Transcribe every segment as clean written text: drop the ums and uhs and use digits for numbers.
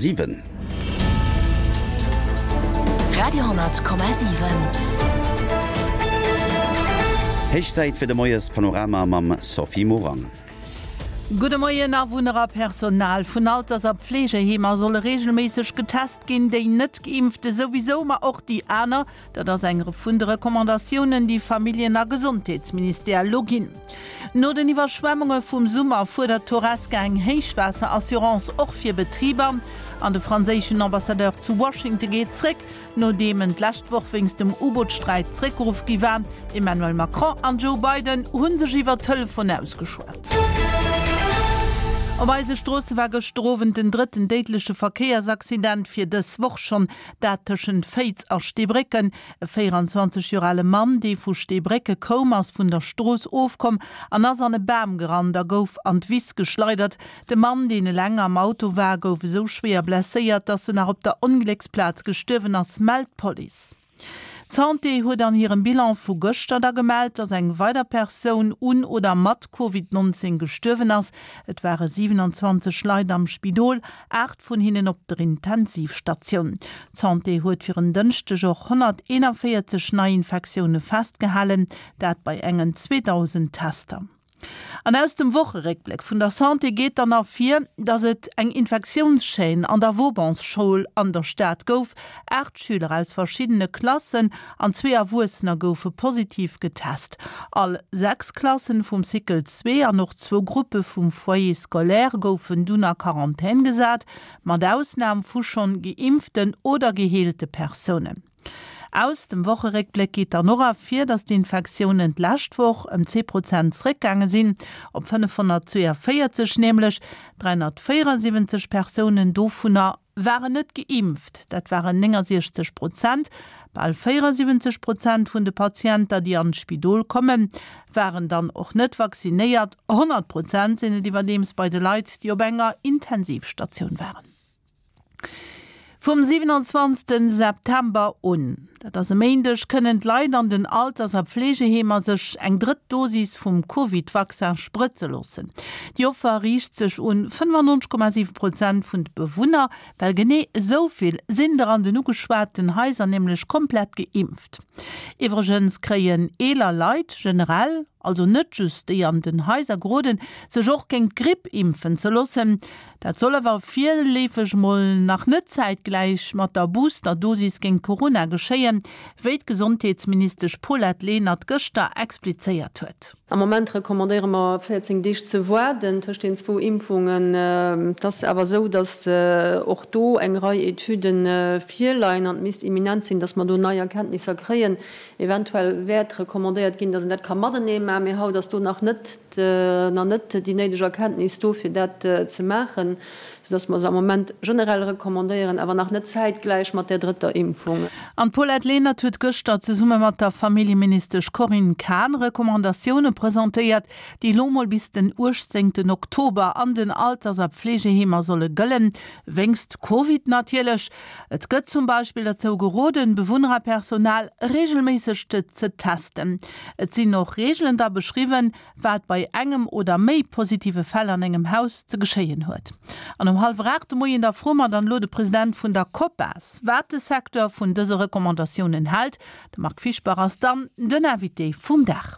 7. Radio,7. Héich Zäit fir de Moiespanorama mam Sophie Morang. Gudde Moien, Awunner a Personal vun Alters a Pflegeheemer solle reegelméisseg getest ginn, déi net Geimpfte souwisou, ma och déi aner. Dat ass eng vun de Recommandatiounen, déi Familljen a Gesondheetsministère elo ginn. No den Iwwerschwemmunge vum Summer fuerdert d'Horesca eng Héichwaasserassurance och fir Betriber. An de franséischen Ambassadeur zu Washington geet zréck. Nodeem en d'lescht Woch wéinst dem U-Boot-Sträit zréckgeruff gi war. Emmanuel Macron an Joe Biden hu sech iwwer Telefon ausgeschwat. Op eise Stroosse war gëschter Owend den drëtten déidleche Verkéiersaccident fir dës Woch schonn, dat tëschent Féiz a Steebrécken. E 24 Joer ale Mann, dee vu Steebrécke koum, ass vun der Strooss ofkomm an ass an e Bam gerannt a gouf an d'Wiss geschleidert. De Mann, deen eleng am Auto war, gouf esou schwéier blesséiert, dass en nach op der Onglécksplaz gestuerwen ass, mellt d'Police. D'Santé huet an hirem Bilan vu gëschter da gemellt, dass eng weider Persoun un oder mat Covid 19 gestuerwen ass. Et ware 27 Leit am Spidol, 8 vun hinnen op der Intensivstatioun. D'Santé huet fir en Dënschdeg och 141 Neiinfektioune festgehalen, dat bei engen 2.000 Tester. An aus dem Wocheréckbléck vun der Santé geet dann ervir, datt et eng Infektiounschaîne an der Vaubansschoul an der Stad gouf. 8 Schüler aus verschiddene Klassen an zwee Erwuessener goufe positiv getest. All 6 Klassen vum Cycle 2 an och zwou Gruppe vum Foyer scolaire goufen dunn a Quarantän gesat, mat Ausnam vu schonn geimpften oder geheelte Persounen. Aus dem Wocheréckbléck geet dann och ervir, datt d'Infektiounen d'lescht Woch ëm 10 Prozent zeréckgaange sinn, op 542 nämlech. 374 Persounen dovunner waren net geimpft, dat waren 69 Prozent. Bal 74 Prozent vun de Patienter, déi an d'Spidol kommen, waren dann och net vaccinéiert. 100 Prozent sinn et iwwerdeems bei de Leit, déi op enger Intensivstatioun waren. Vum 27 September un, dat ass e Méindeg, kënnen d'Leit an den Alters a Pflegeheemer sech eng drëtt Dosis vum Covid-Vaccin sprëtze loossen. Déi Offer riicht sech un 95,7 Prozent vun de Bewunner, well genee esou vill sinn der an den ugeschwaten Haiser nämlech komplett geimpft. Iwwregens kréien eeler Leit generell, also net just déi an den Haiser, geroden, sech och géint d'Gripp impfen ze loossen. Dat soll awer virleefeg mol nach net zäitgläich mat der Booster-Dosis géint Corona geschéien, wéi d'Gesondheetsministesch Paulette Lenert gëschter explizéiert huet. Am Moment recommandéiere mer 14 Deeg ze waarden tëscht den zwou Impfungen. Et ass awer esou, datt och do eng Rei Etüde virleien an et misst imminent sinn, datt mer do nei Erkenntnisser kréien. Eventuell wäert recommandéiert ginn, datt een dat ka matenee maachen, mee haut ass do nach net nach net déi néideg Erkenntnis do, fir dat ze maachen, soudass mer se am Moment generell recommandéieren, awer nach net zäitgläich mat där drëtter Impfung. An d'Paulette Lenert huet gëschter zesumme mat der Familljeministesch Corinne Cahen Recommandatioune presentéiert, déi elo mol bis den 18 Oktober an den Alters a Pflegeheemer solle gëllen, wéinst Covid natierlech. Et gëtt zum Beispill derzou geroden, Bewunner a Personal reegelméisseg ze testen. Et sinn och Reegelen da beschriwwen, wat bei engem oder méi positive Fäll an engem Haus ze geschéien huet. An um hallwer 8 de Moien da froe mer dann elo de President vun der COPAS, wat de Secteur vun dëse Recommandatiounen hält. De Marc Fischbach ass dann den Invité vum Dag.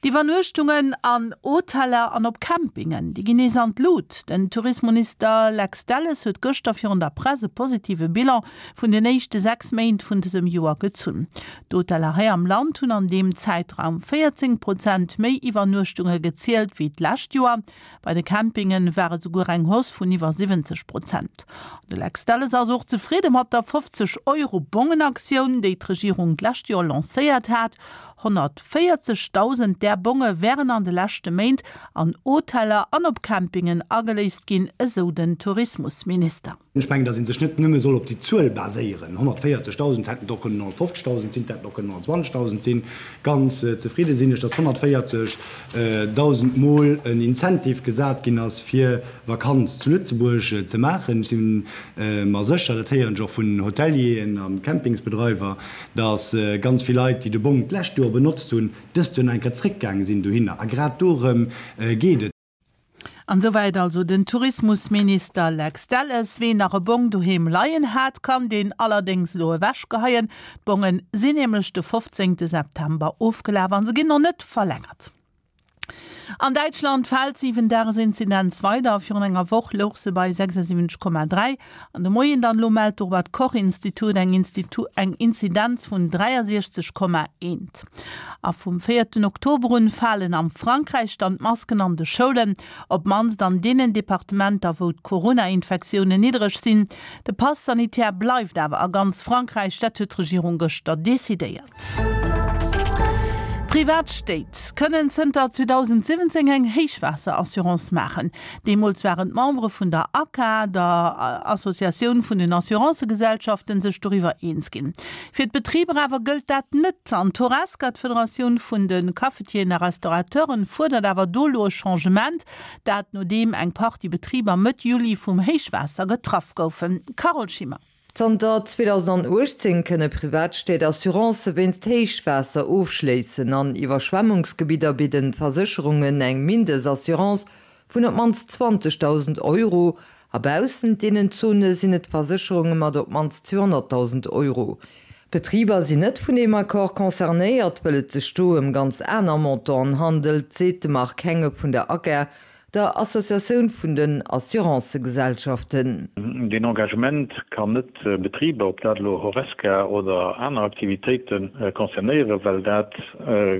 D'Iwwernuechtungen an Hoteller an op Campingen, déi ginn nees an d'Lut. Den Tourismonister Lex Delles huet gëschter virun der Press e positive Bilan vun den éischte 6 Méint vun dësem Joer gezunn. D'Hoteller hei am Land hunn an deem Zäitraum 14 Prozent méi Iwwernuechtunge gezielt wéi d'lescht Joer. Bei de Campinge war et souguer eng Hausse vun iwwer 70 Prozent. An de Lex Delles ass och zefridde mat der 50 Euro Bongenaktioun, déi d'Regierung d'lescht Joer lancéiert hat. 140.000 där Bonge wären an de leschte Méint an Hoteller an op Campingen ageléist ginn, esou den Tourismusminister. Ech mengen, datt ee sech net nëmme soll op déi Zuel baséieren, 140.000 hätten et och kënnen 150.000 sinn, et hätten och kënnen 120.000 sinn. Ganz zefridde sinn ech, datt 140.000 Mol en Incentive gesat ginn ass, fir Vakanz zu Lëtzebuerg ze maachen. Ech si mer sécher, dat héieren ech och vun Hotelieren a Campingsbedreiwer, datt ganz vill Leit, déi de Bong d'lescht Joer benotzt hunn, dëst Joer nach eng Kéier zréckgaange sinn dohinner. A grad dorëm geet et. An esouwäit also den Tourismusminister Lex Delles. Ween nach e Bong doheem leien hat, kann deen allerdéngs elo ewechgeheien. D'Bonge sinn nämlech de 15 September ofgelaf an se ginn och net verlängert. An Däitschland fält d'Siwen-Dages-Inzidenz weider. Virun enger Woch louch se bei 76,3 an de Moien dann elo mellt de Robert Koch-Institut eng eng Inzidenz vun 63,1. A vum véierten Oktober un falen am Frankräich dann d'Masken an de Schoulen, op d'mannst an deenen Departementer, wou d'Corona-Infektiounen niddereg sinn. De Pass sanitaire bleift awer a ganz Frankräich, dat huet d'Regierung gëschter decidéiert. Privat Stéit kënnen zënter 2017 eng Héichwaasser-Assurance maachen. Deemools waren d'Membere vun der ACA, der Associatioun vun den Assurancëgesellschaften, sech doriwwer eens ginn. Fir d'Betriber awer gëllt dat net. An d'Horesca, d'Federatioun vun de Cafetieren a Restaurateuren, fuerdert awer do elo e Changement. Dat nodeem eng Partie Betriber Mëtt Juli vum Héichwaasser getraff goufen. Carole Schimmer. Zanter 2018 kënne Privatstéit Assurancë wéinst Héichwaasser ofschléissen. An Iwwerschwemmungsgebidder bidden d'Versécherungen eng Mindestassurance vun op d'mannst 20.000 Euro a baussent deenen Zone sinn et Versécherunge mat op d'mannst 200.000 Euro. D'Betriber sinn net vun deem Accord concernéiert, wëll et sech do ëm ganz aner Montanten handelt, seet de Marc Henge vun der ACER. Der Associatioun vun den Assurancëgesellschaften. Deen Engagement kann net Betriber, ob dat elo Horesca oder aner Aktivitéite concernéieren, well dat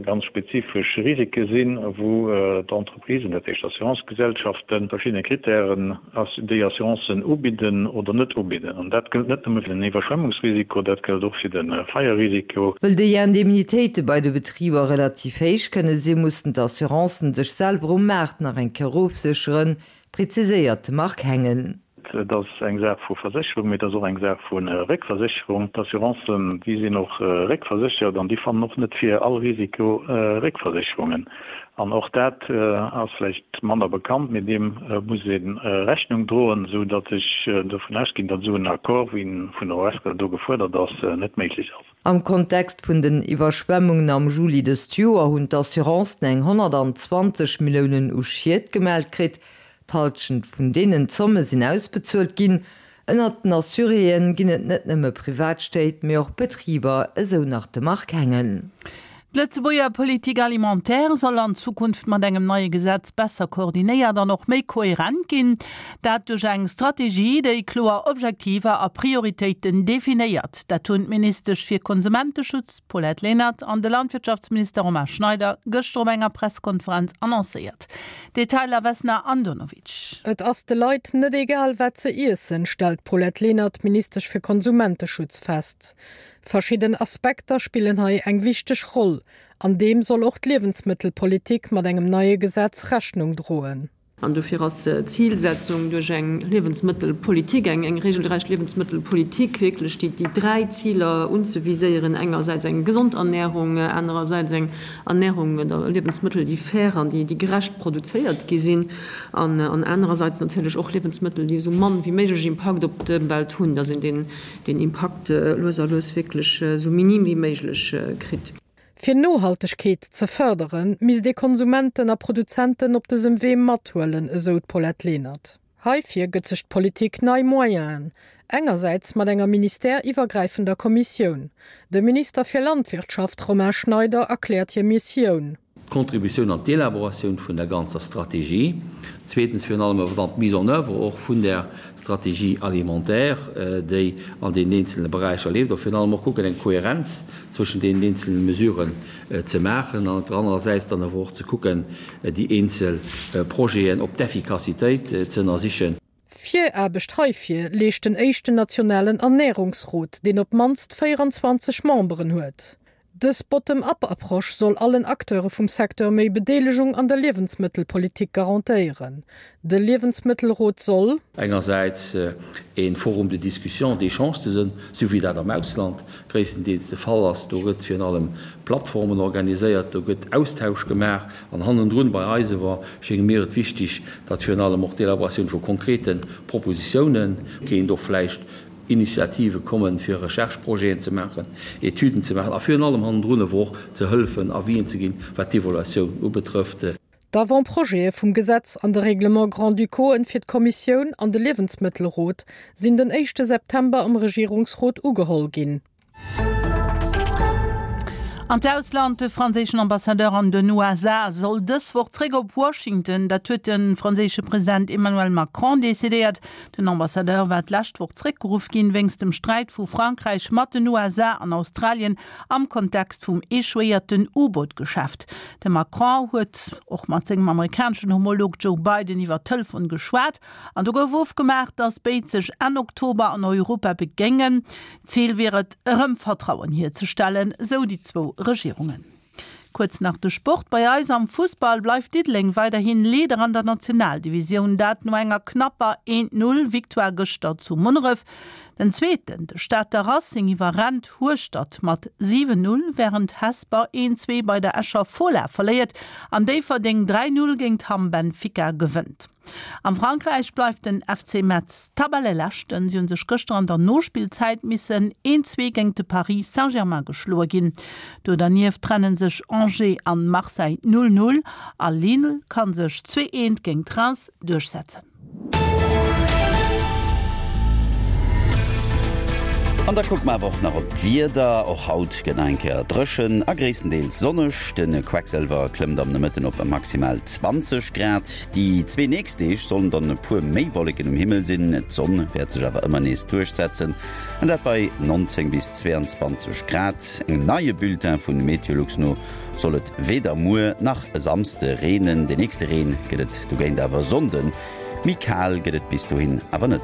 ganz spezifesch Risike sinn, wou d'Entreprisen, dat heescht d'Assurancegesellschaften, verschiddene Kritären déi Assurancen ubidden oder net ubidden. An dat gëllt net nëmme fir den Iwwerschwemmungsrisiko, dat gëllt och fir de Feierrisiko. Wëll déi Indemnitéite bei de Betriber relativ héich kënne sinn, mussen d'Assurancen sech selwer um Maart nach eng Kéier ofsécheren, preziséiert de Marc Hengen. Et ass eng Saach vu Versécherung, mee et ass och eng Saach vu Réckversécherung. D'Assurancen, déi sinn och réckverséchert an déi fannen och net fir all Risiko Réckversécherungen. An och dat ass vläicht manner bekannt, mee deem muss ee Rechnung droen, esou datt ech dovun ausginn, datt esou en Accord, wéi en vun der Horesca do gefuerdert ass, net méiglech ass. Am Kontext vun den Iwwerschwemmungen am Juli dëst Joer hunn d'Assurancen eng 120 Milliounen u Schied gemellt kritt. D'Hallschent vun deenen Zomme sinn ausbezuelt ginn. Ënnert den Assuréeë ginn et net nëmme Privatstéit, mee och Betriber, esou nach de Marc Hengen. D'Lëtzebuerger Politique alimentaire soll an Zukunft mat engem neie Gesetz besser koordinéiert an och méi kohärent ginn. Dat duerch eng Strategie, déi kloer Objektiver a Prioritéiten definéiert. Dat hunn d'Ministesch fir Konsumenteschutz Paulette Lenert an de Landwirtschaftsminister Romain Schneider gëschter op enger Presskonferenz annoncéiert. Detailer Vesna Andonovic. Et ass de Leit net egal, wat se iessen, stellt d'Paulette Lenert, Ministesch fir Konsumenteschutz, fest. Verschidden Aspekter spillen hei eng wichteg Roll, an deem soll och d'Liewensmëttelpolitik mat engem neie Gesetz Rechnung droen. An dofir ass d'Zilsetzung duerch eng Liewensmëttelpolitik, eng regelrecht Liewensmëttelpolitik, wierklech déi dräi Ziler unzeviséieren, engersäits eng gesond Ernährung, anerersäits eng Ernährung oder Liewensmëttel, déi fair an déi gerecht produzéiert gi sinn, an anerersäits natierlech och Liewensmëttel, déi esou mann wéi méiglech Impakt op d'Ëmwelt hunn, dass een deen deen Impakt lues a lues wierklech esou minim wéi méiglech kritt. Fir Nohaltegkeet ze fërderen, misst ee Konsumenten a Produzenten op dësem Wee mathuelen, esou d'Paulette Lenert. Heifir gëtt sech d'Politik nei Moyenen, engersäits mat enger ministère-iwwergräifender Kommissioun. De Minister fir Landwirtschaft Romain Schneider erkläert hir Missioun. D'Contributioun an d'Elaboratioun vun der ganzer Strategie, zweetens virun allem awer dann d'Mise en oeuvre och vun där Stratégie alimentaire, déi an deenen eenzelne Beräicher leeft, a virun allem och kucken, eng Kohärenz zwëschen deenen eenzelne Mesuren ze maachen an op der anerer Säit dann awer och ze kucken, déi eenzel Projeten op d'Effikassitéit ze ënnersichen. Viraarbecht heifir leescht den éischten nationalen Ernärungsrot, deen op d'mannst 24 Memberen huet. Dës Bottom-up-Approche soll allen Acteure vum Secteur méi Bedeelegung an der Liewensmëttelpolitik garantéieren. De Liewensmëttelrot soll. Engersäits e Forum de discussion, d'échange ze sënn, sou wéi dat am Ausland gréisstendeels de Fall ass. Do gëtt virun allem Plattformen organiséiert, do gëtt Austausch gemaach. An hannendrun bei eis ewer schénge mir et wichtig, datt virun allem och d'Elaboratioun vu konkrete Propositiounen kéint och vläicht Initiative kommen, fir Recherche-Projeten ze maachen, Etüden ze maachen a virun allem hannendrun ewer och ze hëllefen, Avisen ze ginn, wat d'Evaluatioun ubetrëfft. D'Avant-projete vum Gesetz an de Règlement grand-ducauxen fir d'Kommissioun an de Liewensmëttelrot sinn den éischte September am Regierungsrot ugeholl ginn. An d'Ausland, De franséischen Ambassadeur an den USA soll dës Woch zréck op Washington. Dat huet de franséische President Emmanuel Macron decidéiert. Den Ambassadeur war d'lescht Woch zréckgeruff ginn, wéinst dem Sträit vu Frankräich mat den USA an Australien am Kontext vum echouéierten U-Boot-Geschäft. De Macron huet och mat sengem amerikaneschen Homolog Joe Biden iwwer Telefon geschwat an do gouf ofgemaach, datt béid sech Enn Oktober an Europa begéingen. Zil wier et, erëm Vertrauen hierzestellen, sou déi zwou Regierungen. Kuerz nach de Sport, Bei eis am Fussball bleift Diddeleng weiderhin Leader an der Nationaldivisioun, dat no enger knapper 1, 0 Victoire gëschter zu Munneref. Den Zweeten, de Stater Racing, iwwerrennt Hueschtert mat 7, 0, wärend Hesper 1, 2 bei der Escher Fola verléiert an Déifferdeng 3, 0 géint Hamm Benfica gewënnt. Am Frankräich bleift den FC Metz Tabelleleschten. Si hu sech gëschter an der Nospillzäit missen 1, 2 géint de Paris Saint-Germain geschloe ginn. Do dernieft trenne sech Angers an Marseille 0, 0 a Lille ka sech 2, 1 géint Reims duerchsetzen. An da kucke mer awer och nach op d'Wieder. Och haut gëtt nach eng Kéier dréchen a gréisstendeels sonneg. De Quecksëlwer klëmmt am Nomëtten op maximal 20 Grad. Déi zwee nächst Deeg sollen dann e puer méi Wolleken um Himmel sinn, d'Sonn wäert sech awer ëmmer nees duerchsetzen, an dat bei 19 bis 22 Grad. Engem neie Bulletin vun Meteolux no soll et weder muer nach e Samsde reenen. De nächste Reen gëtt et dogéint awer e Sonnden. Méi kal gëtt et bis dohin awer net.